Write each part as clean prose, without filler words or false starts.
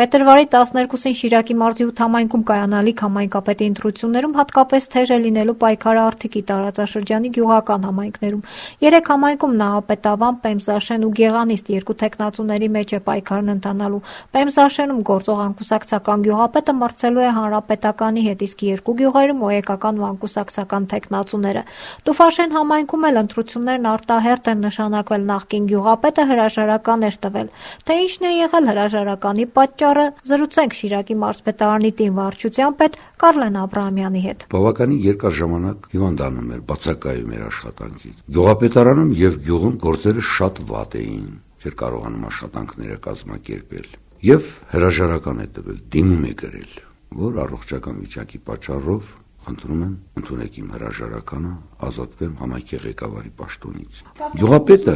Փետրվարի 12-ին Շիրակի մարզի 8 համայնքում կայանալիք համայնքապետի ընտրություններում հատկապես թեժ է լինելու պայքարը Արթիկի տարածաշրջանի գյուղական համայնքներում։ 3 համայնքում Նահապետավան, Պեմզաշեն ու Գեղանիստ 2 թեկնածուների մեջ է պայքարն ընթանալու։ Պեմզաշենում գործող անկուսակցական գյուղապետը մրցելու է հանրապետականի հետ, իսկ 2 գյուղերում օեկական ու անկուսակցական թեկնածուները։ Տուֆաշեն համայնքում էլ ընտրություններն արտահերթ են նշանակվել, նախկին գյուղապետը հրաժարական էր տվել։ Թե ինչն է եղել հրաժարականի պատճառը, զրուցենք Շիրակի մարզպետարանի տին վարչության պետ Կարլեն Աբրահամյանի հետ։ Բավականին երկար ժամանակ հիվանդանում էր, բացակայում էր աշխատանքից։ Գյուղապետարանում եւ գյուղում գործերը շատ վատ էին, չէր կարողանում աշխատանքները կազմակերպել եւ հրաժարական է տվել, դիմում է գրել, որ առողջական վիճակի պատճառով խնդրում եմ ընդունեք իմ հրաժարականը, ազատվեմ համայնքի ղեկավարի պաշտոնից։ Գյուղապետը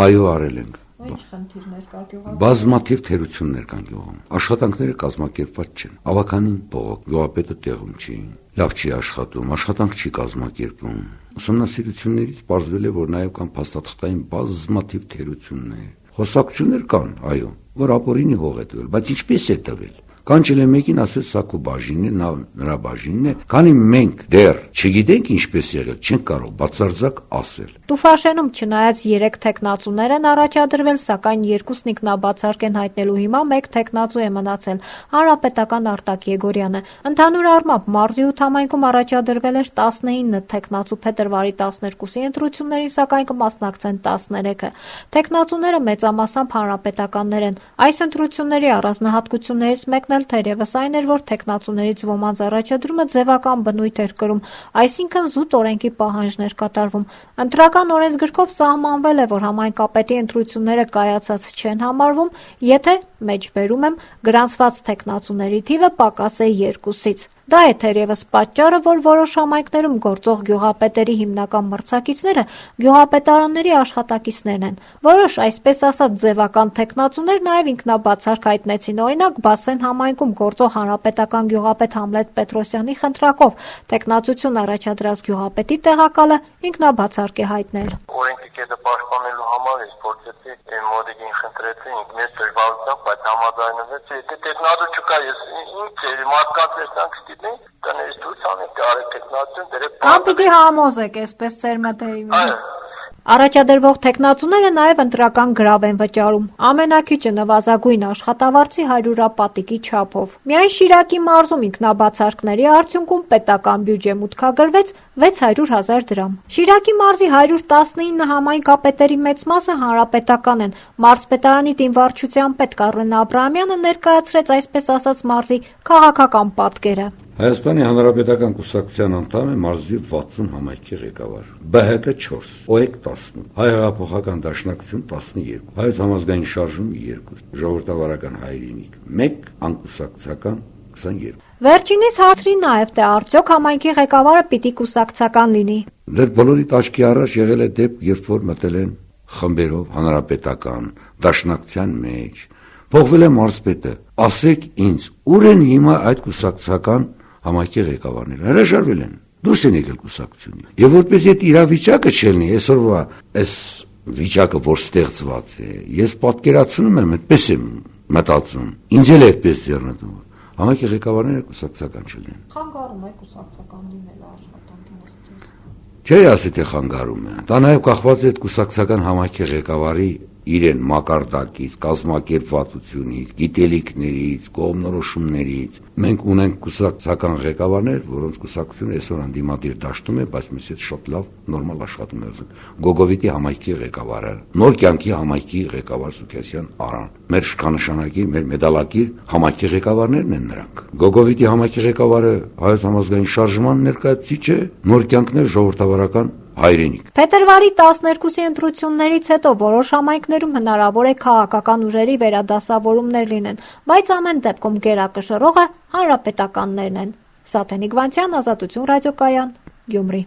այո, արել ենք։ Ինչ խնդիրներ կա գյուղում։ Բազմաթիվ թերություններ կան գյուղում։ Աշխատանքները կազմակերպված չեն։ Ավականին բողոք, գյուղապետը տեղում չի, լավ չի աշխատում, աշխատանք չի կազմակերպում։ Ուսումնասիրություններից պարզվել է, որ նաև կան փաստաթղթային բազմաթիվ թերություններ։ Խոսակցություններ կան, այո, որ ապօրինի հող է տվել, բայց ինչպես է տվել։ Կանչել է մեկին, ասել սա քո բաժինն է, նա նրա բաժինն է, քանի մենք դեռ չգիտենք ինչպես եղել, չենք կարող բացարձակ ասել։ Տուֆաշենում չնայած 3 թեկնածուներ են առաջադրվել, սակայն 2-ն ինքնաբացարկ են հայտնելու հիմա 1 թեկնածու է մնացել՝ հանրապետական Արտակ Եգորյանը։ Ընդհանուր առմամբ մարզի 8 համայնքում առաջադրվել էր 19 թեկնածու, փետրվարի 12-ի ընտրություններին սակայն կմասնակցեն 13-ը։ Թեկնածուները մեծամասամբ հանրապետականներ են։ Այս ընտրությունների առանձնահատկություններից մեկն թերևս այն էր, որ թեկնածուներից ոմանց առաջադրումը ձևական բնույթ էր կրում, այսինքն զուտ օրենքի պահանջներ կատարվում։ Ընտրական օրենսգրքով սահմանվել է, որ համայնքապետի ընտրությունները կայացած չեն համարվում, եթե, մեջբերում եմ, գրանցված թեկնածուների թիվը պակաս է 2-ից։ Դա է թերևս պատճառը, որ որոշ համայնքներում գործող գյուղապետերի հիմնական մրցակիցները գյուղապետարանների աշխատակիցներն են։ Որոշ, այսպես ասած, ձևական թեկնածուներ նաև ինքնաբացարկ հայտնեցին, օրինակ Բասեն համայնքում գործող հանրապետական գյուղապետ Համլետ Պետրոսյանի խնդրակով թեկնածություն առաջադրած գյուղապետի տեղակալը ինքնաբացարկ է հայտնել։ Օրենքի կետը պաշտպանելու համար ես փորձեցի մոդիկին խնդրեցի, ինքնես դժվարությամբ, բայց համաձայնվեց։ Եթե տեխնատու չկա, ես ինձ մարդկանց տեսանք ստիպեի, տներից դուրս անենք արեք տեխնատուն, դերեք։ Պիտի համոզեք, այսպես ծեր մտերի մեջ։ Առաջադրվող թեկնածուները նաև ընտրական գրավ են վճարում։ Ամենակիչը նվազագույն աշխատավարձի 100 պատիկի չափով։ Միայն Շիրակի մարզում ինքնաբացարկների արդյունքում պետական բյուջե մուտքագրվեց 600,000 դրամ։ Շիրակի մարզի 119 համայնքապետերի մեծ մասը հանրապետական են։ Մարզպետարանի տին վարչության պետ Կարլեն Աբրահամյանը ներկայացրեց այսպես ասած մարզի քաղաքական պատկերը։ Հայաստանի Հանրապետական կուսակցության անդամ է մարզի 60 համայնքի ղեկավար, ԲՀԿ 4, ՕԵԿ 10, Հայ հեղափոխական դաշնակցություն 12, Հայոց համազգային շարժում 2, Ժողովրդավարական հայրենիք 1, անկուսակցական 22։ Վերջինիս հարցրի նաև, թե արդյոք համայնքի ղեկավարը պիտի կուսակցական լինի։ Դեռ բոլորիդ աչքի առաջ եղել է դեպք, երբ որ մտել են խմբերով հանրապետական դաշնակցության մեջ, փոխվել է մարզպետը, ասեք ինձ, ուր են հիմա այդ կուսակցական համայնքի ղեկավարները, հրաժարվել են, դուրս են եկել կուսակցությունից։ Եվ որպես այդ իրավիճակը չելնի, այսօրվա այս վիճակը, որ ստեղծված է, ես պատկերացնում եմ, այդպես եմ մտածում, ինձ էլ այդպես ձեռնտու, համայնքի ղեկավարները կուսակցական չլինեն։ Խանգարում է կուսակցական լինելը աշխատանքի մասից։ Չէ, ասի թե խանգարում է։ Դա նաև կախված է այդ կուսակցական համայնքի ղեկավարի իրեն մակարդակից, կազմակերպվածությունից, գիտելիքներից, կողմնորոշումներից։ Մենք ունենք կուսակցական ղեկավարներ, որոնց կուսակցությունը այսօր անդիմադիր դաշտում է, բայց մեզ հետ շատ լավ, նորմալ աշխատում է։ Գոգովիտի համայնքի ղեկավարը, Նոր կյանքի համայնքի ղեկավար Սուքիասյան Արան։ Մեր շքանշանակի, մեր մեդալակիր համայնքի ղեկավարներն են նրանք։ Գոգովիտի համայնքի ղեկավարը Հայոց համազգային շարժման ներկայացուցիչ է, Նոր կյանքն է ժողովրդավարական հայրենիք։ Փետրվարի 12-ի ընտրություններից հետո որոշ համայնքներում հնարավոր է քաղաքական ուժերի վերադասավորումներ լինեն, բայց ամեն դեպքում գերակշռողը հանրապետականներն են։ Սաթենիկ Վանցյան, Ազատություն ռադիոկայան, Գյումրի։